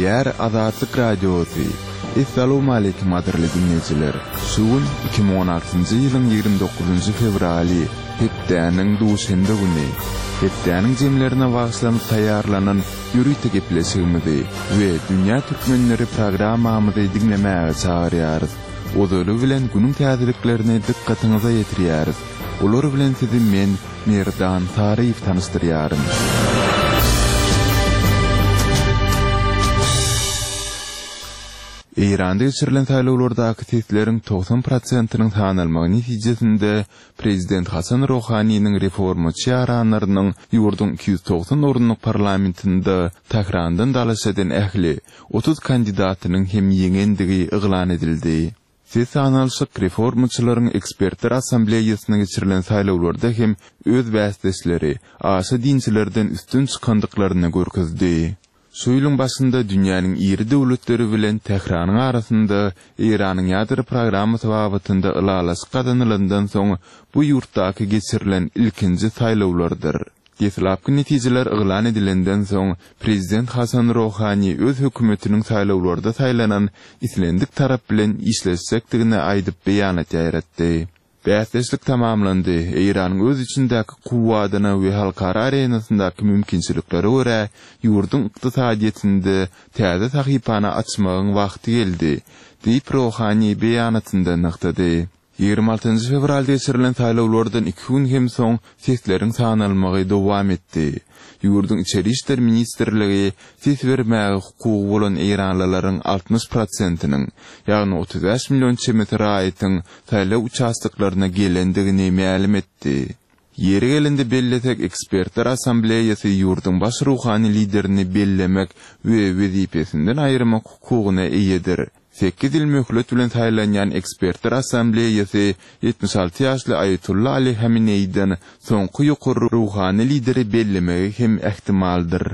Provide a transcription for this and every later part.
Gepleýär Azatlyk Radiosy. Essalawmaleýkim gadyrly diňleýjiler! Şu gün 2016-njy ýylyň 29-njy fewraly, hepdäniň duşenbe güni. Hepdäniň jemlerine bagyşlanyp taýýarlanan ýörite gepleşigimizi we Dünýä Türkmenleri programmamyzy diňlemäge çagyrýarys. Ozaly bilen günüň täzeliklerini dykgatyňyza ýetirýäris. Olar bilen sizi men, Merdan Saryýew tanyşdyrýaryn. Eýranda geçirilen saýlawlardaky sesleriň 90 prosentiniň sanalmagy netijesinde prezident Hasan Rohaniniň reformaçy ýaranlarynyň ýurduň 290 orunlyk parlamentinde Tährandan dalaş eden ähli 30 kandidatynyň hem ýeňendigi yglan edildi. Ses sanalyşyk reformaçylaryň ekspertler assambleýasyna geçirilen saýlawlarda hem öz bäsdeşleri, aşa dinçilerden üstün çykandyklaryny görkezdi. Şu ýylyň başynda dünýäniň iri döwletleri bilen Tähranyň arasynda Eýranyň ýadro programmasy babatynda ylalaşyk gazanylandan soň bu ýurtdaky geçirilen ilkinji saýlawlardyr. Deslapky netijeler yglan edilenden soň, prezident Hasan Rohani öz hökümetiniň saýlawlarda saýlanan islendik tarap bilen işleşjekdigini aýdyp beýanat ýaýratdy. Bäsdeşlik tamamlandy, Eýranyň öz içindäki kuwwadyna we halkara arenasyndaky mümkinçiliklere görä ýurduň ykdysadyýetinde täze sahypany açmagyň wagty geldi, diýip Rohani beýanatynda nygtady. 26 fewralda geçirilen saýlawlardan iki gün hem soň sesleriň sanalmagy dowam etdi. Ýurduň Içeri işler ministrligi ses bermäge hukugy bolan eýranlylaryň 60 prosentiniň, ýagny 35 million çemesi raýatyň saýlaw uçastoklaryna gelendigini mälim etdi. Ýeri gelende bellesek, Ekspertler assambleýasy ýurduň baş ruhany liderini bellemek we wezipesinden aýyrmak hukugyna eýedir. Sekiz ýyl möhlet bilen saýlanýan Ekspertler assambleýasy 76 ýaşly Aýatolla Ali Hameneýiden soňky ýokary ruhany lideri bellemegi hem ähtimaldyr.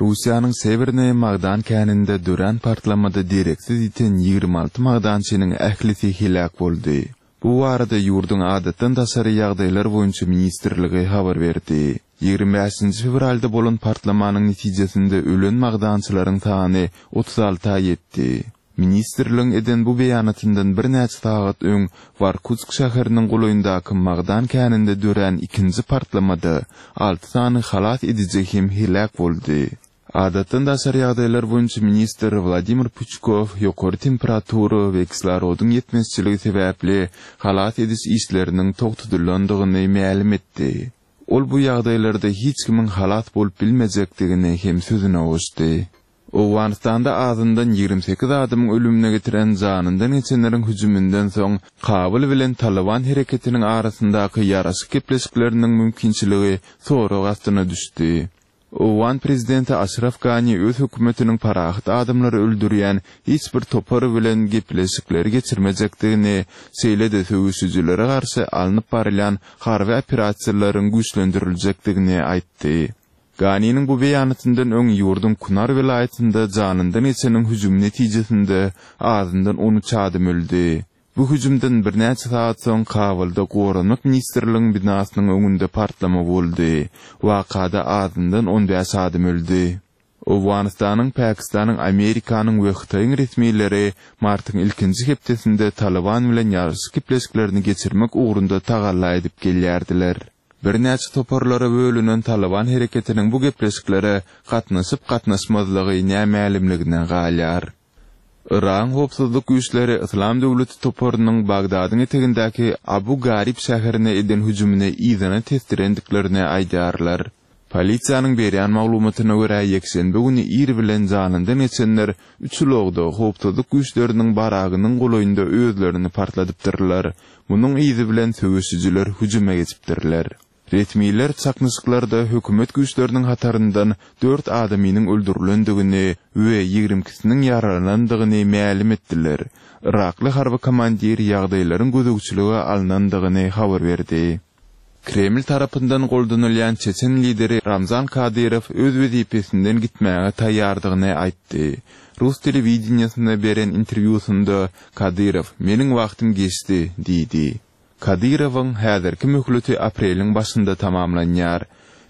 Russiýanyň Sewernaýa magdan käninde dörän partlamada dereksiz ýiten 26 magdançynyň ählisi heläk boldy. Bu barada ýurduň Adatdan daşary ýagdaýlar boýunça ministrligi habar berdi. 25-nji fewralda bolan partlamanyň netijesinde ölen magdançylaryň sany 36-a ýetdi. Ministrligiň eden bu beýanatyndan birnäçe sagat öň Workutsk şäheriniň golaýyndaky magdan käninde dörän ikinji partlamada alty sany halas ediji hem heläk boldy. Adatdan daşary ýagdaýlar boýunça ministr Wladimir Puçkow ýokary temperatura we kislorodyň ýetmezçiligi sebäpli halas ediş işleriniň togtadylandygyny mälim etdi. Ol bu ýagdaýlarda hiç kimiň halas bolup bilmejekdigini hem sözüne goşdy. Owganystanda azyndan 28 adamyň ölümine getiren janyndan geçenleriň hüjüminden soň Kabul bilen Talyban hereketiniň arasyndaky ýaraşyk gepleşikleriniň mümkinçiligi sorag astyna düşdi. Owgan prezidenti Aşraf Gani öz hökümetiniň parahat adamlary öldürýän hiç bir topar bilen gepleşikleri geçirmejekdigini, şeýle-de söweşijilere garşy alnyp barylýan harby operasiýalaryň güýçlendiriljekdigini aýtdy. Ganiniň bu beýanatyndan öň ýurduň Kunar welaýatynda janyndan geçeniň hüjümi netijesinde azyndan 13 adam öldi. Bu hüjümden birnäçe sagat soň Kabulda Goranmak ministrligiň binasynyň öňünde partlama boldy. Wakada azyndan 15 adam öldi. Owganystanyň, Pakistanyň, Amerikanyň we Hytaýyň resmileri martyň ilkinji hepdesinde Talyban bilen ýaraşyk gepleşiklerini geçirmek ugrunda tagalla edip gelýärdiler. Birnäçe toparlara bölünen Talyban hereketiniň bu gepleşiklere gatnaşyp-gatnaşmazlygy nämälimligine galýar. Yragyň howpsuzlyk güýçleri Yslam döwleti toparynyň Bagdadyň etegindäki Abu Garib şäherine eden hüjümini yzyna tesdirendiklerini aýdýarlar. Polisiýanyň berýän maglumatyna görä, ýekşenbe güni ir bilen janyndan geçenler üç ulagda howpsuzlyk güýçleriniň baragynyň golaýynda özlerini partladypdyrlar. Munuň yzy bilen söweşijiler hüjüme geçipdirler. Resmiler çaknyşyklarda hökümet güýçleriniň hataryndan dört adamynyň öldürilendigini we ýigrimi ikisiniň ýaralanandygyny mälim etdiler. Yrakly harby komandir ýagdaýlaryň gözegçilige alnandygyny habar berdi. Kreml tarapyndan goldanylýan çeçen lideri Ramzan Kadyrow öz wezipesinden gitmäge taýýardygyny aýtdy. Rus telewideniýesine beren interwýusynda Kadyrow, Meniň wagtym geçdi diýdi. Kadyrowyň häzirki möhleti apreliň başynda tamamlanýar.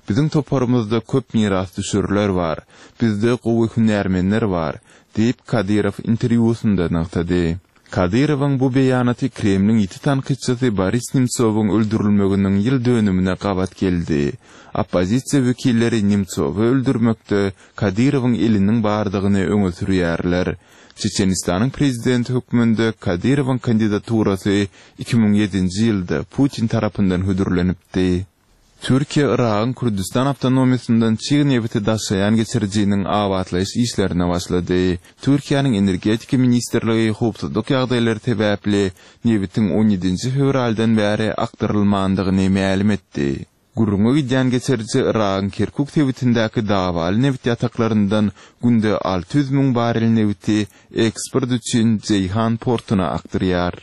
Biziň toparymyzda köp mirasdüşerler bar. Bizde gowy hünärmenler bar, diýip, Kadyrow interwýusynda nygtady. Kadyrowyň bu beýanaty Kremliň ýiti tankytçysy Boris Nemtsowyň öldürilmeginiň ýyl dönümine gabat geldi. Oppozisiýa wekilleri Nemtsowy öldürmekde Kadyrowyň eliniň bardygyny öňe sürýärler. Çeçenistanyň prezidenti hökmünde Kadyrowyň kandidaturasy 2007-nji ýylda Putin tarapyndan hödürlenipdi. Türkiýe Yragyň Kürdüstan awtonomiýasyndan çig nebiti daşaýan geçirijiniň abatlaýyş işlerine başlady. Türkiýäniň Energetika ministrligi howpsuzlyk ýagdaýlary sebäpli nebitiň on ýedinji fewraldan bäri akdyrylmandygyny mälim etdi. Gürrüňi gidýän geçiriji Yragyň Kerkuk sebitindäki dawaly nebit ýataklaryndan günde 600 müň barrel nebiti eksport üçin Jeýhan portuna akdyrýar.